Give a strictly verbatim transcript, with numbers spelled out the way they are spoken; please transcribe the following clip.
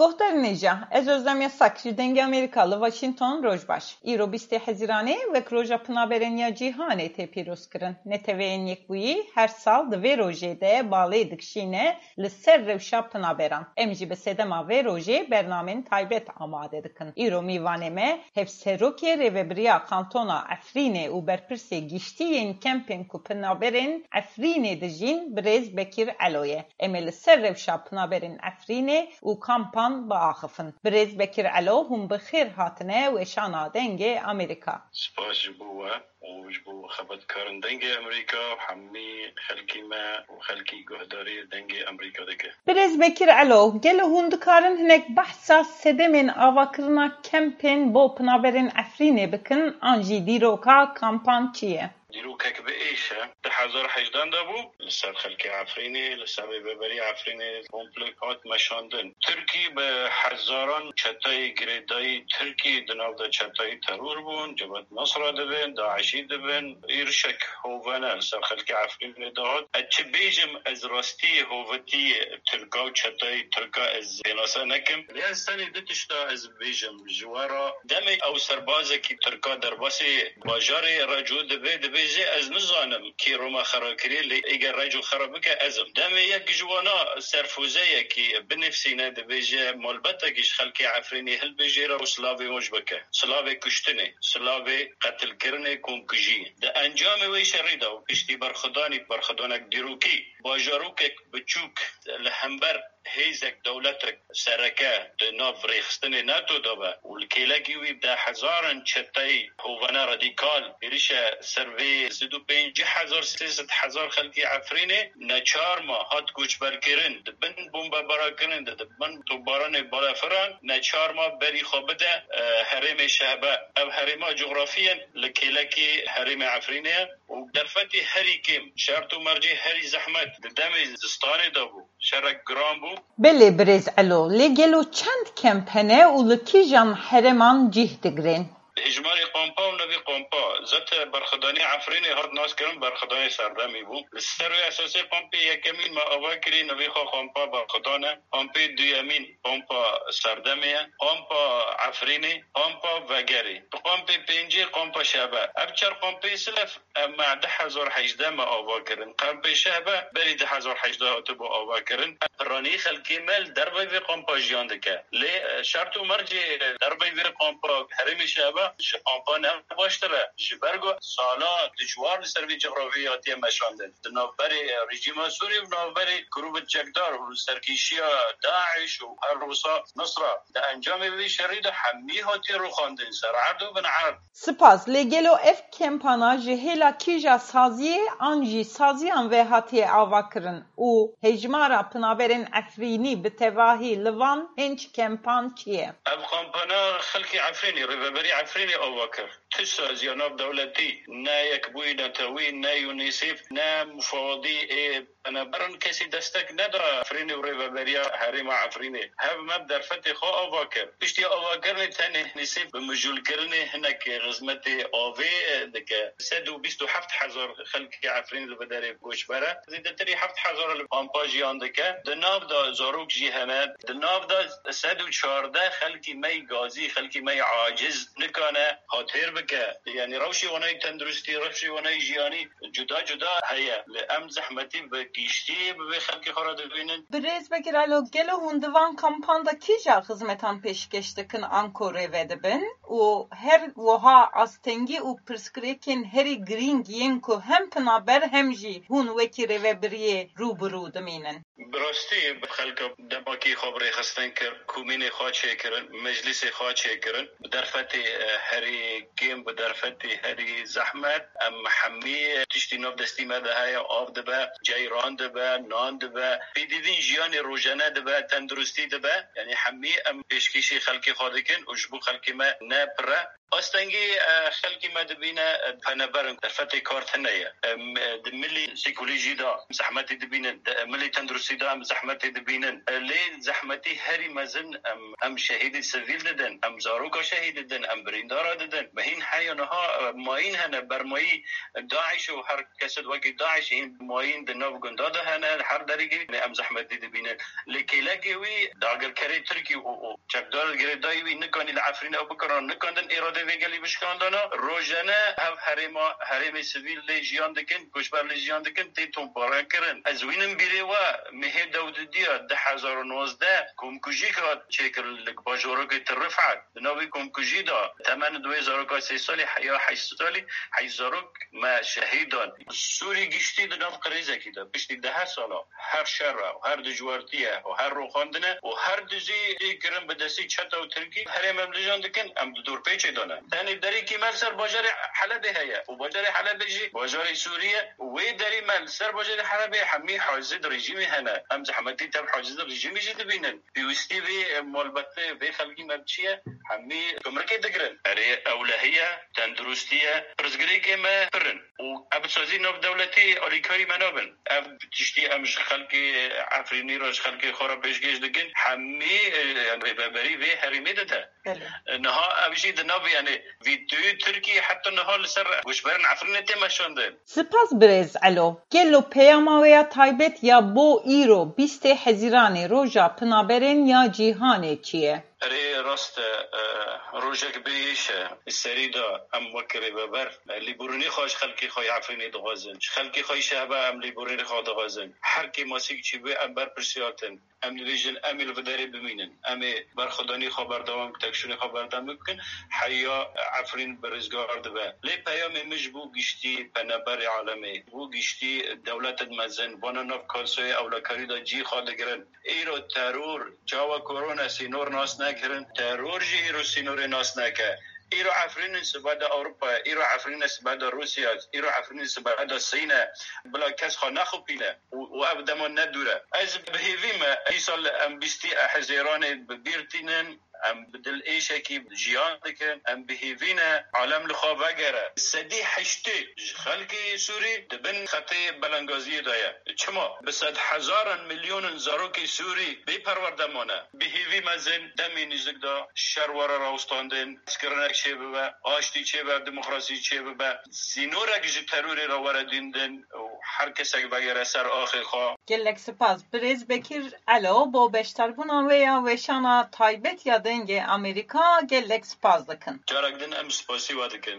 Guhdarên hêja, ez Özlem Yasak ji Dengê Amerîka li Washington, roj baş. Îro bîstê Hezîranê wek Roja Pinaberên ya Cîhanê tê pîrozkirin. Neteweyên Yekbûyî her sal di vê rojê de balê dikişîne li ser rewşa pinaberan. Em jî bi sedema vê rojê bernamên taybet amade dikin. Îro mîvanê me Hevserokê Rêvebiriya Kantona Efrînê û berpirsê giştî yên kempên ku pinaberên Efrînê dijîn, birêz Bekir Elo ye. Em ê li ser rewşa pinaberên Efrînê û kampan biaxifin. Birêz Bekir Elo, hûn bi xêr hatine weşana Dengê Amerîka. Spas ji bo we û ji bo xebatkarên Dengê Amerîka û hemî xelkê me û xelkê guhdarî Dengê Amerîka dike. Birêz Bekir Elo, gelo hûn dikarin hinek behsa sedemên avakirina kempên bo pinaberên Efrînê bikin, an jî dîroka kampan çi ye? Dîrokek bi êş e. Du hezar hejdeh de bû, li ser xelkê Efrînê, li ser rêveberî Efrînê komple hat meşandin. Tirkî bi hezaran çetayê girêdayî Tirkî di nav de çetayê teror bûn, Cebhet Nusra dibin, DAIŞî dibin. Êrişek hovene li ser xelkê Efrînê dihat. Ez çi bêjim, ez rastiyê hovetiyê Tirka û çetayê Tirka ez pênase nekim. Lê ez tenê du tişta ez bêjim ji we re. Demê ew serbazekî Tirka derbasî bajarê Reco dibe, dibêje, ez nizanim kî Roma xera kiriye, lê êger Reco xera bike, ez im. Demê yek ji wana serfûzeyekî binivîsîne, dibêje, malbetekî ji xelkê Efrînê hilbijêre û silavê wan ji bike. Silavê kuştinê, silavê qetilkirinê, komkujiyê. Di encamê wê şerî de û piştî berxwedanî, berxwedanek dîrokî, bajarokek biçûk li hember hêzek, dewletek sereke di nav rêxistinê NATO de be û li kêlekî wî deh hezaran çeteyî hovene radîkal êrişe ser vê sed û pêncî hezar, sê sed hezar xelkê Efrînê neçar ma hat koçberkirin, di bin bombebarakirin de, di bin topbaranê balafiran neçar ma berî xwe bide, e, herêmê Şehbe. Ev herêma coxrafî ye li kêlekî herêmê Efrînê ye û derfetê herî kêm, şert û mercê herî zehmet di demê zistanê de bû. Şerek giran bû. Belê birêz Elo, lê gelo çend kemp hene û li kîjan herêman cih digirên? Hejmarê kampa û nevî kampa, zete berxwedanê Efrînê hat naskirin, berxwedanê serdemî bû. Li ser wê esasê kampê yekemîn me ava kirî, nevî xwe kampa berxwedan e. Kampê duyemîn kampa serdemê ye. Kampa Efrînê, kampa vegerê. Kampê pêncê kampa şebe. Ev çar kampê silef Em me du hezar hejdeh me ava kirin. Kampê Şehbe berî du hezar hejdeh hatibû ava kirin. Piranî xelkê me li derveyî vê kampa jiyan dike. Lê, e, şert û mercê derveyî vê kampa herêmê Şehbe ji kampa ne baştir e. Ji ber ku sala dijwar li ser vê cografyayê hatiye meşandin. Di navberê rejîma Sûrî û navberê grûbê çekdar û serkêşiya DAIŞ û her wisa Nusra. Di encamê vê şerî de hemî hatiye rûxandin ser erd û bin erd. Spas, lê gelo ev kempana ji hêla kîja saziyê an jî saziyan ve hatiye avakirin û hejmara pinaberên Efrînî bi tevahî li van hênc kempan çi ye? Ev kampana xelkê Efrînê, rêveberî Efrînê ava kir. Tu saziya navdewletî, ne Yekbûyî Netewî, ne UNICEF, ne mufawadî ê penaberan kesî destek neda Efrînê û rêveberiya herêma Efrînê. Hev me bi derfetê xwe ava kir. Piştî avakirinê tenê UNICEF bi mijûlkirinê hinek xizmetê avê dike. Sed û bîst û heft hezar xelkê Efrînê li vê derê koçber e. Zêdetirî heft hezar li kampa jiyan dike. Di nav de zarok jî hene. Di nav de sed û çardeh xelkî me yî gazî, xelkî me yî aciz nikane hatêr bike. Yanî rewşê wana yî tenduristî, rewşê wana yî jiyanî cuda cuda heye. Lê em zehmetî bi giştî bi vê xelkê xwe re dibînin. Birêz Bekir Elo, gelo hûn di van kampan de kîja xizmetan pêşkêş dikin anko rêve dibin û her wiha astengî û pirsgirêkên herî girîng yên ku hem pinaber hem jî hûn wekî rêvebiriyê rû bi rû dimînin? Bi rastî xelka demakî xwe bi rêxistin kir, komînê xwe çêkirin, meclîsê xwe çêkirin. Bi derfetê, e, herî kêm, bi derfetê herî zehmet, em hemî tiştî nav destî me de heye, av dibe, ceyran dibe, nan dibe, pêdivîn jiyanê rojane dibe, tenduristî dibe. Yanî hemî em pêşkêşî xelkê xwe dikin û ji bo xelkê me ne pir e. Astengî e, xelkî me dibîne e, peneber in, derfetê kar tune ye. Em, e, di milî psîkolojî de em zehmetî dibînin, di milî tenduristî de em zehmetî dibînin. E, lê zehmetî herî mezin em, em şehîdî sivîl didin, em zaroka şehîd didin, em birîndara didin. Me hîn heya niha e, mayîn hene, bermayî DAIŞ û her kesê wekî DAIŞ hîn mayîn di nav gunda de hene, her derî em zehmetî dibînin. Lê kêlekê wî dagirkerê Tirkî û, û çekdar girêdayî wî nikanî li Efrînê ew bikirin, nikandin îradê vê gelî bişkandana. Rojane hev herêma, herêmê sivîl lê jiyan dikin, koçber lê jiyan dikin, tê tomparkirin. Ez wînim bîrê we, mehê dewdidiya du hezar û nozdeh komkujîk hat çêkir li bajorokê Til Rifat. Di nav vê komkujî de temen di wê zaroka sê salî ya heşt salî heşt zarok me şehîd dan. Sûrî giştî di nav qirêzekî de piştî dehe sala her şer e, her dijwartî ye û her roxandin e û her dizî tê kirin bi destî çeta û tirkî herêm em dijan dikin, em di dorpêçê de ne. Tenê derîkî me li ser bajarê Helebê heye û bajarê Helebê jî bajarê Sûrî ye û wê derî me li ser bajarê Helebê hemî hacizê di rejîmê hene. Em zehmetî tev hacizê di rejîmê jî dibînin. Pêwîstî vê malbetê vê xelkî me bi çi ye? Hemî gumrikê digirin. Erê, ewlehî ye, tenduristî ye, pirsgirêkê me pir in. Û ev sazî navdewletî alîkarî me nabin. Ev tiştî em ji xelkê Efrînî re, ji xelkê xwe re pêşkêş dikin. Hemî e, yani rêveberî vê herêmê dide. Belê. Niha ev jî di nav yani vîdyoyê Tirkî heta niha li ser goçberên Efrînê tê meşandin. Spas birêz Elo. Gelo peyama we ya taybet ya bo îro bîstê Hezîranê roja pinaberên ya cîhanê çi ye? Erê rast e, e, rojek bêyêş e. Serî de em wek rêveber, e, lêborînê xwe ji xelkê xwe yê Efrînê dixwazin. Ji xelkê xwe yê Şehba em lêborînê xwe dixwazin. Her kêmasîk çî bû em berpirsiyar tin. Em dibêjin, em ê li vê derê bimînin. Em ê berxwedanî xwe berdewam bikin, têkoşînê xwe berdewam bikin. Heya Efrîn bi rizgar dibe. Lê peyamê min ji bo giştî peneberê alemê, bo giştî dewletên mezin, vana nav kalsoyê ewlekarî de cî xwe digirin. Îro teror, çawa korona sînor nas nekirin, teror jî îro sînorê nas neke. Îro Efrînê sibe de Ewropa ye, îro Efrînê sibe de Rûsya ye, îro Efrînê sibe de Sîn e. Bila kes xwe nexupîne û, û ev dema ne dûr e. Ez bi hêvî me, îsal em bîstî Hezîranê bi bîr tînin, em bi dil êşekî jiyan dikin, em bi hêvî ne alem li xwe vegere. Sedî heştê ji xelkê Sûrî di bin xetê belengaziyê de ye. Çima? Bi sedhezaran milyonin zarokê Sûrî bê perwerde mane. Bi hêvî mezin demê nêzik de şer were rawestandin, hezkirinek çêbibe, aştî çêbe, demokrasî çêbibe, sînorek ji terorê re were dîndin û her kesek vegere ser axê xwe. Gelek spas birêz Bekir Elo bo beşdarbûna we ya weşana taybet ya Dengê Amerîka, gelek spas dikin. Carek din em spasî we dikin.